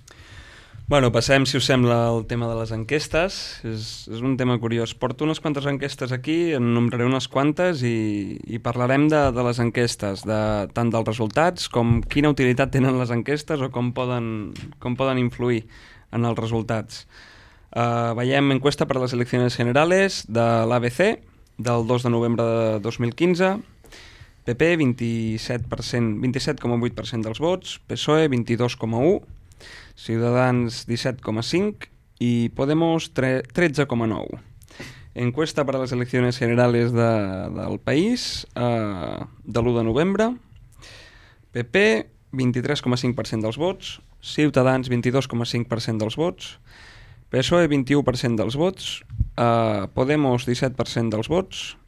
Bueno, passem, si us sembla, al tema de les enquestes. És, és un tema curiós. Porto unes quantes enquestes aquí, en nombraré unes quantes i, i parlarem de, de les enquestes, de, tant dels resultats com quina utilitat tenen les enquestes o com poden, com poden influir en els resultats. Uh, veiem encuesta per a les eleccions generales de l'A B C del dos de novembre de dos mil quinze. P P, vint-i-set per cent, vint-i-set coma vuit per cent dels vots, P S O E, vint-i-dos coma u per cent, Ciudadanos, disset coma cinc per cent i Podemos, tretze coma nou per cent. Encuesta per a les eleccions generales de, del país, eh, de l'u de novembre. P P, vint-i-tres coma cinc per cent dels vots, Ciutadans, vint-i-dos coma cinc per cent dels vots, P S O E, vint-i-u per cent dels vots, eh, Podemos, disset per cent dels vots,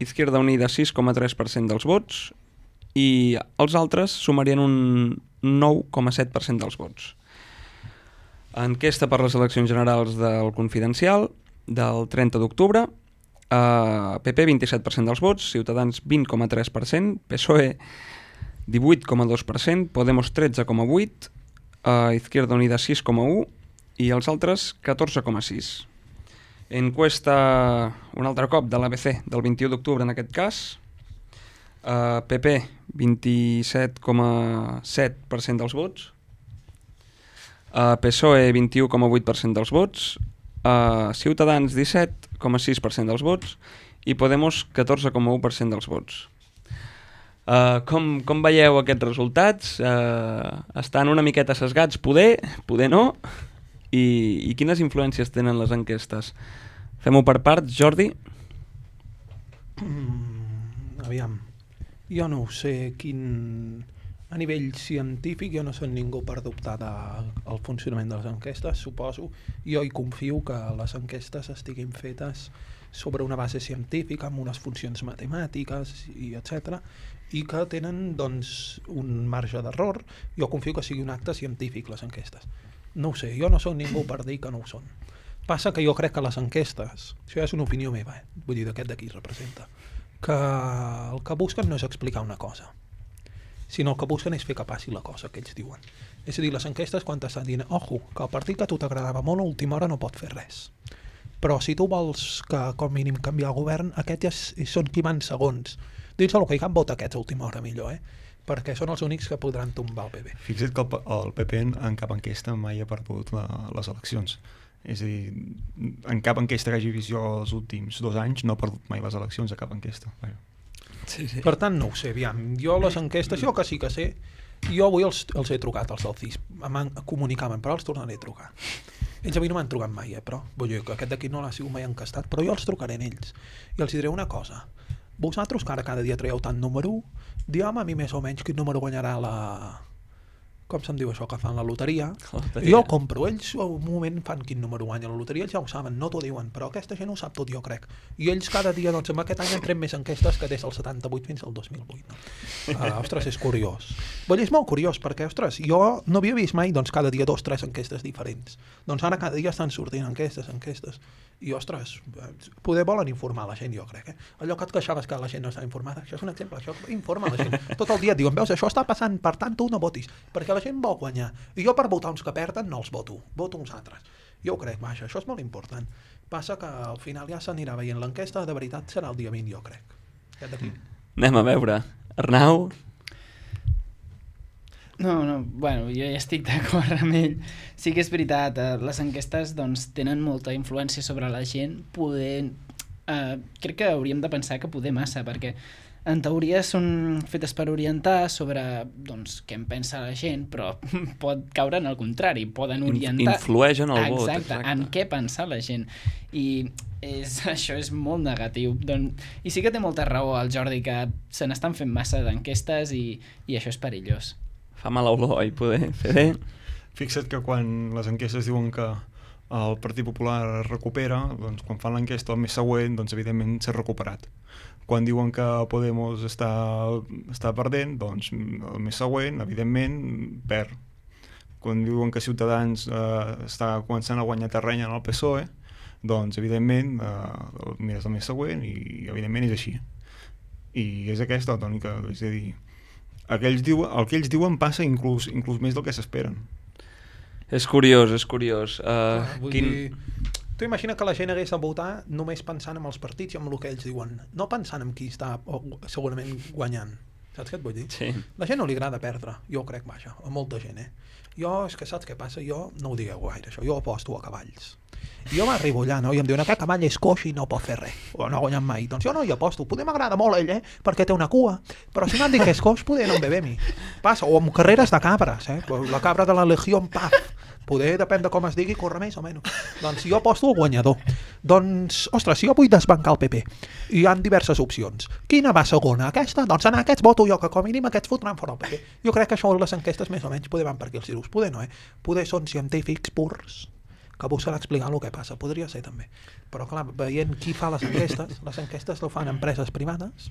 Izquierda Unida, sis coma tres per cent dels vots i els altres sumarien un nou coma set per cent dels vots. Enquesta per les eleccions generals del Confidencial del trenta d'octubre, eh, P P vint-i-set per cent dels vots, Ciutadans vint coma tres per cent, P S O E divuit coma dos per cent, Podemos tretze coma vuit per cent, eh, Izquierda Unida sis coma u per cent i els altres catorze coma sis per cent. Encuesta un altre cop de l'A B C del vint-i-u d'octubre en aquest cas, eh, P P vint-i-set coma set per cent dels vots, Uh, P S O E vint-i-u coma vuit per cent dels vots, uh, Ciutadans disset coma sis per cent dels vots i Podemos catorze coma u per cent dels vots. Uh, com, com veieu aquests resultats? Uh, estan una miqueta sesgats, poder, poder no, i, i quines influències tenen les enquestes? Fem-ho per parts, Jordi? Mm, aviam, jo no ho sé quin... A nivell científic jo no soc ningú per dubtar del funcionament de les enquestes, suposo. Jo hi confio que les enquestes estiguin fetes sobre una base científica, amb unes funcions matemàtiques, i etcètera, i que tenen doncs, un marge d'error. Jo confio que sigui un acte científic, les enquestes. No ho sé, jo no soc ningú per dir que no ho són. Passa que jo crec que les enquestes, això ja és una opinió meva, eh? Vull dir, d'aquest d'aquí representa, que el que busquen no és explicar una cosa, sinó el que busquen és fer que passi la cosa que ells diuen. És a dir, les enquestes quan t'estan dient ojo, que el partit que a tu t'agradava molt a última hora no pot fer res. Però si tu vols que com mínim canviar el govern, aquests ja són qui van segons. Dins el que hi cap vota aquests a última hora millor, eh? Perquè són els únics que podran tombar el P P. Fixa't que el, el P P en, en cap enquesta mai ha perdut la, les eleccions. És a dir, en cap enquesta que hagi vist jo els últims dos anys no ha perdut mai les eleccions a cap enquesta. Vaja. Sí, sí. Per tant, no ho sé, aviam. Jo les enquestes, jo que sí que sé, jo avui els, els he trucat, els del C I S, em comunicaven, però els tornaré a trucar. Ells a mi no m'han trucat mai, eh, però vull dir que aquest d'aquí no l'ha sigut mai encastat, però jo els trucaré a ells i els diré una cosa. Vosaltres que ara cada dia traieu tant número, digueu-me a mi més o menys quin número guanyarà la... com se'n diu això, que fan la loteria. loteria. Jo el compro, ells al moment fan quin número guanya la loteria, ells ja ho saben, no t'ho diuen, però aquesta gent ho sap tot, jo crec. I ells cada dia, doncs, amb aquest any han tret més enquestes que des del setanta-vuit fins al dos mil vuit. No? Uh, ostres, és curiós. Vull dir, és molt curiós, perquè, ostres, jo no havia vist mai, doncs, cada dia dos, tres enquestes diferents. Doncs ara cada dia estan sortint enquestes, enquestes. I, ostres, poder volen informar la gent, jo crec. Eh? Allò que et queixaves que la gent no està informada, això és un exemple, això informa la gent. Tot el dia et diuen, veus, això està passant, per tant, tu no votis, perquè la gent vol guanyar. I jo per votar uns que perden no els voto, voto uns altres. Jo ho crec, vaja, això és molt important. Passa que al final ja s'anirà veient l'enquesta, de veritat serà el dia vint, jo crec. Aquest d'aquí. Anem a veure. Arnau? No, no, bueno, jo ja estic d'acord amb ell. Sí que és veritat, eh, les enquestes doncs, tenen molta influència sobre la gent, poder... Eh, crec que hauríem de pensar que poder massa, perquè en teoria són fetes per orientar sobre doncs, què en pensa la gent, però pot caure en el contrari, poden orientar... Influeix en el vot. Exacte, exacte, en què pensa la gent. I és, això és molt negatiu. Don... I sí que té molta raó el Jordi, que se n'estan fent massa d'enquestes i, i això és perillós. Fa mala olor, i poder fer... Fixa't que quan les enquestes diuen que el Partit Popular es recupera, doncs quan fan l'enquesta el mes següent, doncs evidentment s'ha recuperat. Quan diuen que Podemos està, està perdent, doncs el mes següent, evidentment, perd. Quan diuen que Ciutadans eh, està començant a guanyar terreny en el P S O E, doncs evidentment eh, mires el mes següent i evidentment és així. I és aquesta la tònica, és a dir, el que ells diuen, el que ells diuen passa inclús, inclús més del que s'esperen. És curiós, és curiós. Uh, ah, vull quin... dir, tu imagina que la gent hagués de votar només pensant en els partits i en el que ells diuen, no pensant en qui està o, segurament guanyant. Saps què et vull dir? Sí. La gent no li agrada perdre, jo crec, vaja, a molta gent, eh? Jo, és que saps què passa? Jo, no ho digueu gaire, això, jo aposto a cavalls. Jo m'arribo allà, no? I em diuen, aquest cavall és coix i no pot fer res, o no ha guanyat mai. Doncs jo no hi aposto, poder m'agrada molt ell, eh? Perquè té una cua, però si m'han dit que és coix, poder no em ve bé a mi. Passa, o amb carreres de cabres, eh? La cabra de la Legió, paf, poder, depèn de com es digui, corre més o menys. Doncs jo aposto al guanyador. Doncs, ostres, si jo vull desbancar el P P, hi ha diverses opcions. Quina va segona? Aquesta? Doncs en aquests voto jo, que com a mínim aquests fotran fora el P P. Jo crec que això les enquestes més o menys poder van per aquí els tiros. Poder no, eh? Poder són científics purs que busquen explicar el que passa. Podria ser també. Però clar, veient qui fa les enquestes, les enquestes ho fan empreses privades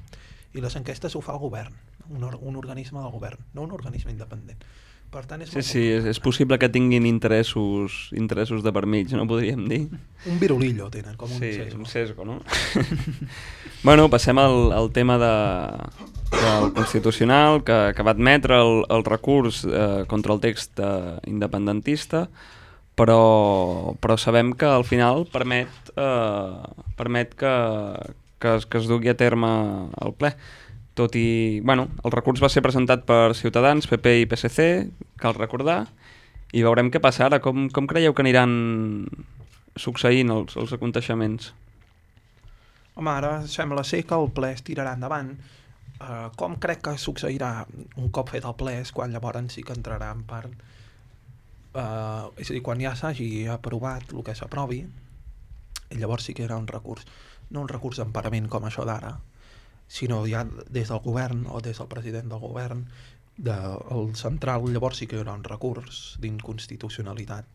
i les enquestes ho fa el govern, un, or un organisme del govern, no un organisme independent. Per tant, és sí, sí, és, és possible que tinguin interessos interessos de per mig, no podríem dir? Un virulillo tenen, com un sí, sesgo. un sesgo, no? Bueno, passem al, al tema de, del Constitucional, que, que va admetre el, el recurs eh, contra el text eh, independentista, però, però sabem que al final permet, eh, permet que, que, es, que es dugui a terme el ple. Tot i... Bueno, el recurs va ser presentat per Ciutadans, P P i P S C, cal recordar, i veurem què passa ara. Com, com creieu que aniran succeint els, els aconteixements? Home, ara sembla ser que el ple es tirarà endavant. Uh, com crec que succeirà un cop fet el ple és quan llavors sí que entrarà en part. Uh, és a dir, quan ja s'hagi aprovat el que s'aprovi, llavors sí que hi haurà un recurs. No un recurs d'emparament com això d'ara, sinó ja des del govern o des del president del govern, del central, llavors sí que hi haurà un recurs d'inconstitucionalitat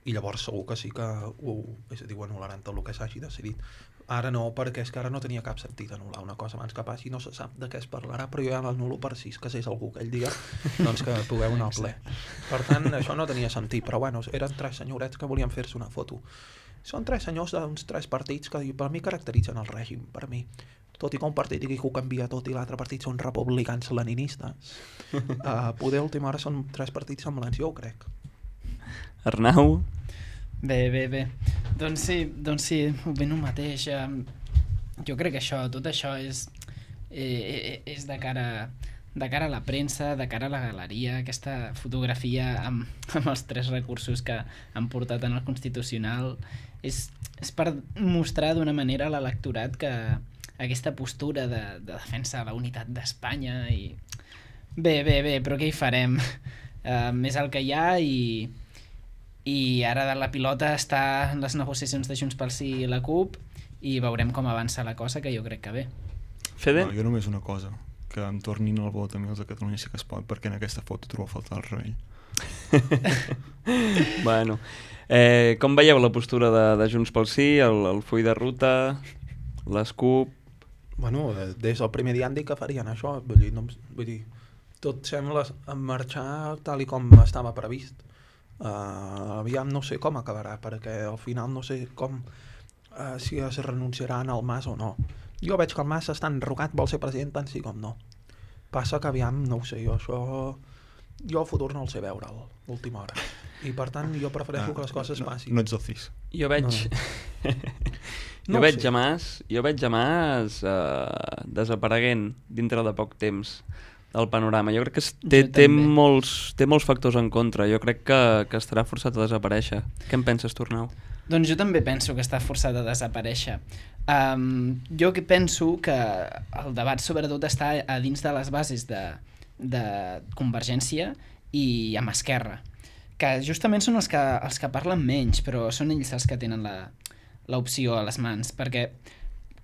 i llavors segur que sí que ho, és a dir, ho anul·laran tot el que s'hagi decidit. Ara no, perquè és que ara no tenia cap sentit anul·lar una cosa abans que passi, no se sap de què es parlarà, però jo ja l'anulo per si es casés algú aquell dia, doncs que pugueu anar al ple. Per tant, això no tenia sentit, però bueno, eren tres senyorets que volien fer-se una foto. Són tres senyors d'uns tres partits que per mi caracteritzen el règim, per mi. Tot i que un partit digui que ho canvia tot i l'altre partit són republicans leninistes, uh, poder a última hora són tres partits semblants, jo ho crec. Arnau? Bé, bé, bé. Doncs sí, doncs sí, ben el mateix. Jo crec que això, tot això és, eh, és de cara, de cara a la premsa, de cara a la galeria, aquesta fotografia amb, amb els tres recursos que han portat en el Constitucional, és, és per mostrar d'una manera a l'electorat que aquesta postura de, de defensa de la unitat d'Espanya i... Bé, bé, bé, però què hi farem? Uh, és el que hi ha i, i ara de la pilota està en les negociacions de Junts pel Sí i la CUP i veurem com avança la cosa, que jo crec que bé. Fede? No, jo només una cosa, que em tornin el vot a mi els de Catalunya Sí que es pot, perquè en aquesta foto trobo a faltar el rei. Bueno, eh, com veieu la postura de, de Junts pel Sí, el, el full de ruta, les CUP? Bueno, des del primer dia han dit que farien això, vull dir, no, vull dir tot sembla marxar tal i com estava previst. Uh, aviam no sé com acabarà, perquè al final no sé com uh, si es renunciaran al Mas o no. Jo veig que el Mas està enrogat, vol ser president tant sí com no. Passa que aviam, no ho sé, jo això... Jo el futur no el sé veure a l'última hora. I per tant jo prefereixo ah, que les coses no, passin. No ets el cis. Jo veig... No, jo, no veig sé. a Mas, jo veig a Mas uh, desapareguent dintre de poc temps. del panorama. Jo crec que té, té, molts, té molts factors en contra. Jo crec que, que estarà forçat a desaparèixer. Què en penses, Tornau? Doncs jo també penso que està forçat a desaparèixer. Um, jo que penso que el debat sobretot està a dins de les bases de, de Convergència i amb Esquerra, que justament són els que, els que parlen menys, però són ells els que tenen l'opció a les mans, perquè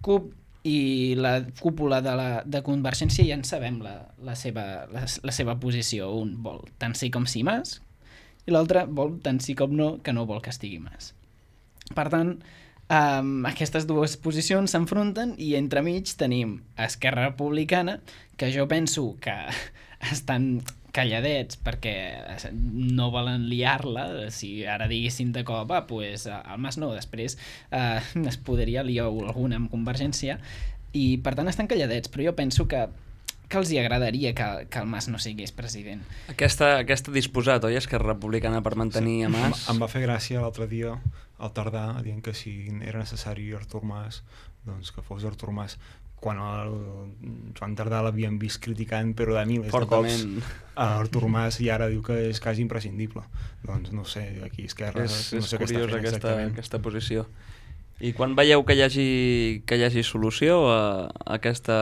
C U P i la cúpula de, la, de Convergència ja en sabem la, la, seva, la, la seva posició. Un vol tant sí com sí Mas i l'altre vol tant sí com no, que no vol que estigui Mas. Per tant, um, aquestes dues posicions s'enfronten i entremig tenim Esquerra Republicana, que jo penso que estan calladets perquè no volen liar-la. Si ara diguessin de cop, ah, pues, el Mas no, després eh, es podria liar alguna amb Convergència, i per tant estan calladets, però jo penso que, que els hi agradaria que, que el Mas no sigués president. Aquesta, aquesta disposat, oi, Esquerra Republicana per mantenir sí. a Mas? Em, em va fer gràcia l'altre dia al tardar dient que si era necessari Artur Mas, doncs que fos Artur Mas, quan el Joan Tardà l'havien vist criticant però de milers Fortament. de cops a Artur Mas, i ara diu que és quasi imprescindible. Doncs no sé, aquí Esquerra és, no és sé què està fent aquesta, exactament. aquesta posició. I quan veieu que hi hagi, que hi hagi solució a, a aquesta...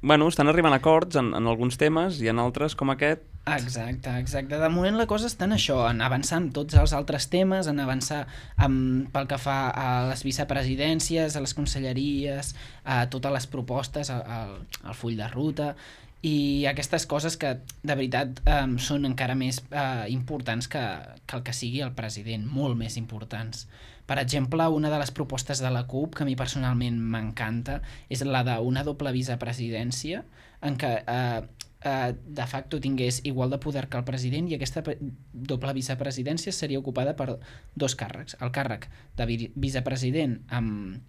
Bueno, estan arribant a acords en, en alguns temes i en altres com aquest... Exacte, exacte. De moment la cosa està en això, en avançar en tots els altres temes, en avançar en, pel que fa a les vicepresidències, a les conselleries, a totes les propostes, al, al full de ruta, i aquestes coses que de veritat eh, són encara més eh, importants que, que el que sigui el president, molt més importants. Per exemple, una de les propostes de la C U P que a mi personalment m'encanta és la d'una doble vicepresidència en què eh, eh, de facto tingués igual de poder que el president, i aquesta doble vicepresidència seria ocupada per dos càrrecs. El càrrec de vi vicepresident amb,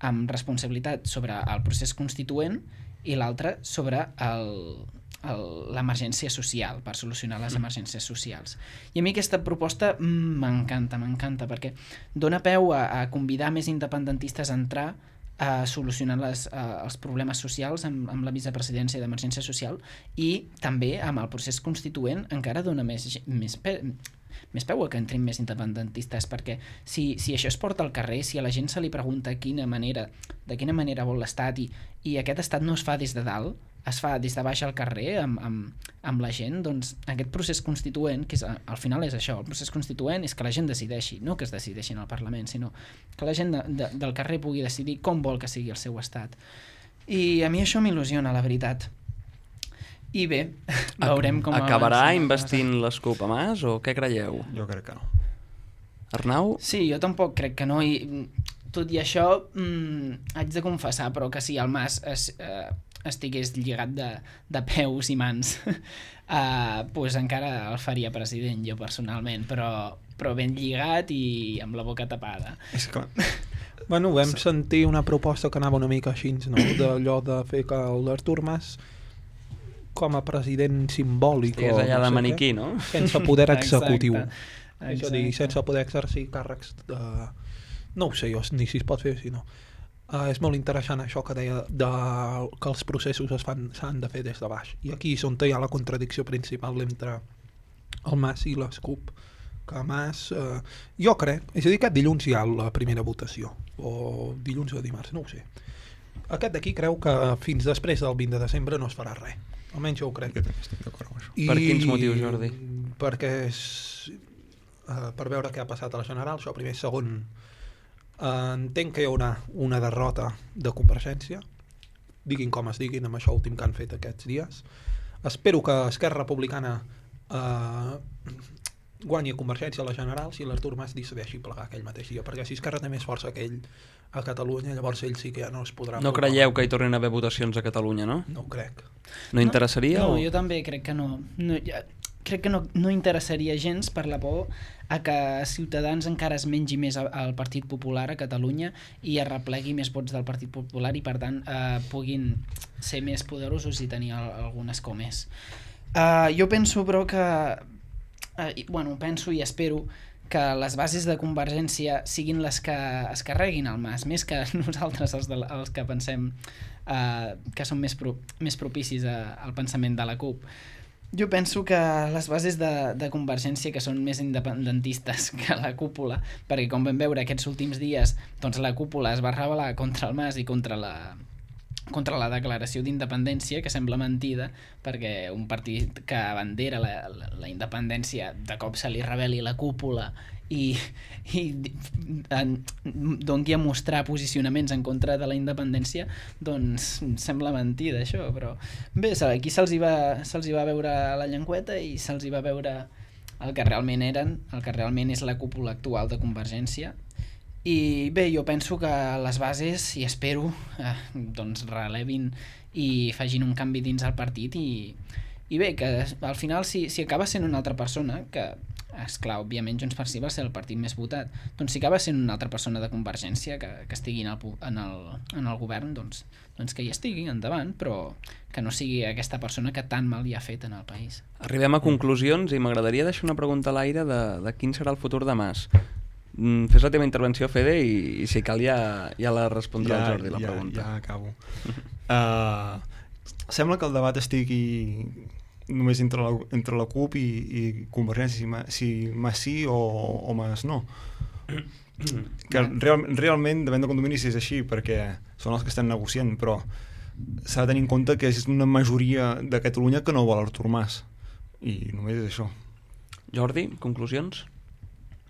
amb responsabilitat sobre el procés constituent i l'altre sobre l'emergència social, per solucionar les emergències socials. I a mi aquesta proposta m'encanta, m'encanta, perquè dona peu a, a convidar més independentistes a entrar a solucionar les, a, els problemes socials amb, amb la vicepresidència d'emergència social, i també amb el procés constituent encara dona més, més, pe, més peu a que entrin més independentistes, perquè si, si això es porta al carrer, si a la gent se li pregunta quina manera, de quina manera vol l'estat, i, i aquest estat no es fa des de dalt, es fa des de baix al carrer amb, amb, amb la gent, doncs aquest procés constituent, que és, al final és això, el procés constituent és que la gent decideixi, no que es decideixi en el Parlament, sinó que la gent de, de, del carrer pugui decidir com vol que sigui el seu estat. I a mi això m'il·lusiona, la veritat. I bé, veurem com... Acabarà investint les C U P a Mas o què creieu? Jo crec que no. Arnau? Sí, jo tampoc crec que no, i tot i això mmm, haig de confessar, però que si el Mas es, eh, estigués lligat de, de peus i mans, eh, pues encara el faria president jo personalment, però, però ben lligat i amb la boca tapada. És que... Bueno, vam sentir una proposta que anava una mica així, no? D'allò de fer que l'Artur Mas com a president simbòlic, estigués allà no de sé maniquí, què, no? sense poder executiu. Exacte. És a dir, sense poder exercir càrrecs de... No ho sé jo, ni si es pot fer, si no. Uh, és molt interessant això que deia de, que els processos es fan s'han de fer des de baix. I aquí és on hi ha la contradicció principal entre el Mas i les C U P. Que Mas, uh, jo crec, és a dir, aquest dilluns hi ha la primera votació, o dilluns o dimarts, no ho sé. Aquest d'aquí creu que fins després del vint de desembre no es farà res. Almenys jo ho crec. Jo també estic d'acord amb això. I... Per quins motius, Jordi? Perquè és, uh, per veure què ha passat a la general, això primer. Segon, uh, entenc que hi haurà una derrota de Convergència, diguin com es diguin, amb això últim que han fet aquests dies. Espero que Esquerra Republicana uh, guanyi a Convergència a la general si l'Artur Mas decideixi plegar aquell mateix dia, perquè si Esquerra té més força que ell a Catalunya, llavors ell sí que ja no es podrà... No creieu que hi tornin a haver votacions a Catalunya, no? No ho crec. No interessaria? No, o... jo també crec que no. no ja, crec que no, no interessaria gens per la por a que Ciutadans encara es mengi més al Partit Popular a Catalunya i es replegui més vots del Partit Popular i per tant eh, puguin ser més poderosos i tenir algun escó més. Uh, jo penso però que... Uh, bueno, penso i espero que les bases de Convergència siguin les que es carreguin el Mas, més que nosaltres els, de, els que pensem eh, que són més, pro, més propicis a, al pensament de la CUP. Jo penso que les bases de, de Convergència, que són més independentistes que la cúpula, perquè com vam veure aquests últims dies, doncs la cúpula es va rebel·lar contra el Mas i contra la, contra la declaració d'independència, que sembla mentida, perquè un partit que abandera la, la, la independència de cop se li rebel·li la cúpula i, i en, doni a mostrar posicionaments en contra de la independència, doncs sembla mentida això, però bé, aquí se'ls hi, va, se'ls hi va veure la llengüeta i se'ls hi va veure el que realment eren, el que realment és la cúpula actual de Convergència. I bé, jo penso que les bases, i espero, eh, doncs relevin i facin un canvi dins el partit i, i bé, que al final si, si acaba sent una altra persona, que esclar, òbviament Junts per Sí va ser el partit més votat, doncs si acaba sent una altra persona de Convergència que, que estigui en el, en, el, en el govern, doncs, doncs que hi estigui endavant, però que no sigui aquesta persona que tan mal hi ha fet en el país. Arribem a conclusions i m'agradaria deixar una pregunta a l'aire de, de quin serà el futur de Mas. Mm, fes la teva intervenció, Fede, i, i si cal ja, ja la respondrà ja, el Jordi, la ja, pregunta. Ja acabo. uh, sembla que el debat estigui només entre la, entre la CUP i, i Convergència, si, ma, si Mas sí o, o Mas no. Que real, realment davant de condominis és així, perquè són els que estan negociant, però s'ha de tenir en compte que és una majoria de Catalunya que no vol Artur Mas, i només és això. Jordi, conclusions?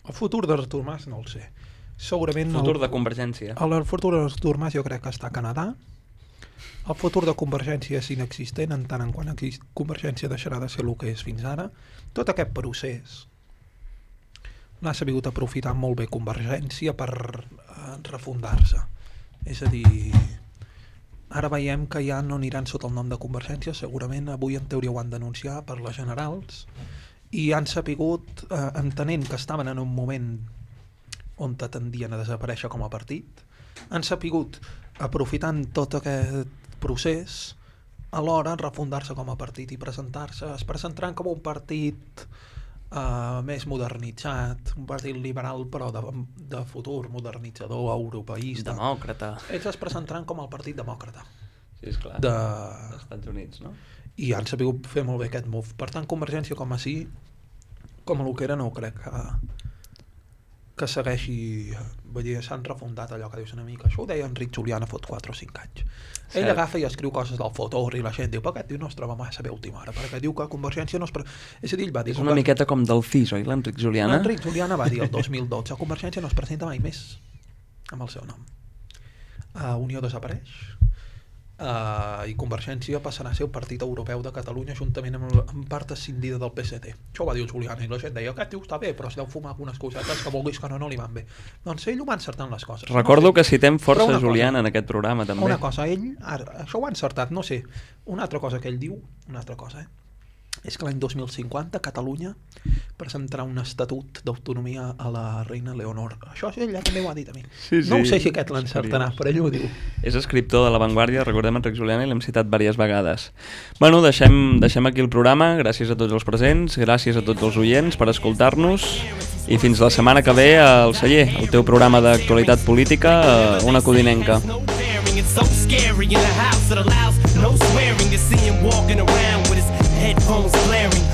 El futur d'Artur Mas no el sé. Segurament el futur el, de Convergència. El, el futur d'Artur Mas jo crec que està a Canadà. El futur de Convergència és inexistent en tant en quant Convergència deixarà de ser el que és fins ara. Tot aquest procés l'ha sabut aprofitar molt bé Convergència per uh, refundar-se. És a dir, ara veiem que ja no aniran sota el nom de Convergència, segurament avui en teoria ho han d'anunciar per les generals, i han sapigut, eh, entenent que estaven en un moment on tendien a desaparèixer com a partit, han sapigut, aprofitant tot aquest procés, alhora refundar-se com a partit i presentar-se, es presentaran com un partit eh, més modernitzat, un partit liberal però de, de futur, modernitzador, europeista. Demòcrata. Ells es presentaran com el partit demòcrata. Sí, esclar, de... dels Estats Units, no? I han sabut fer molt bé aquest move. Per tant, Convergència com a sí, com a lo que era, no crec que, que segueixi. Vull dir, s'han refundat allò que dius una mica. Això ho deia Enric Juliana fot quatre o cinc anys. Cert. Ell agafa i escriu coses del Fotor i la gent diu, però aquest no es troba massa bé a última hora, perquè diu que Convergència no es... Pre... És a dir, ell va dir... És una miqueta com del C I S, oi, l'Enric Juliana? L'Enric Juliana va dir el dos mil dotze, Convergència no es presenta mai més amb el seu nom. Uh, Unió desapareix, Uh, i Convergència passarà a ser el partit europeu de Catalunya juntament amb, amb part escindida del P S D. Això ho va dir el Juliana i la gent deia, aquest tio està bé, però es deu fumar algunes cosetes que vulguis que no, no li van bé. Doncs ell ho va encertar en les coses. Recordo no sé, que citem força Juliana cosa, en aquest programa també. Una cosa, ell, ara, això ho ha encertat, no sé, una altra cosa que ell diu, una altra cosa, eh? És que l'any dos mil cinquanta Catalunya presentarà un estatut d'autonomia a la reina Leonor. Això ell també ho ha dit a mi. Sí, sí, no ho sé si aquest l'encertarà, però ell ho diu. És escriptor de La Vanguardia, recordem Enric Juliana i l'hem citat diverses vegades. Bueno, deixem, deixem aquí el programa. Gràcies a tots els presents, gràcies a tots els oients per escoltar-nos i fins la setmana que ve al Celler, el teu programa d'actualitat política, una codinenca. It's so scary in the house that allows no swearing to see him walking around with his headphones blaring.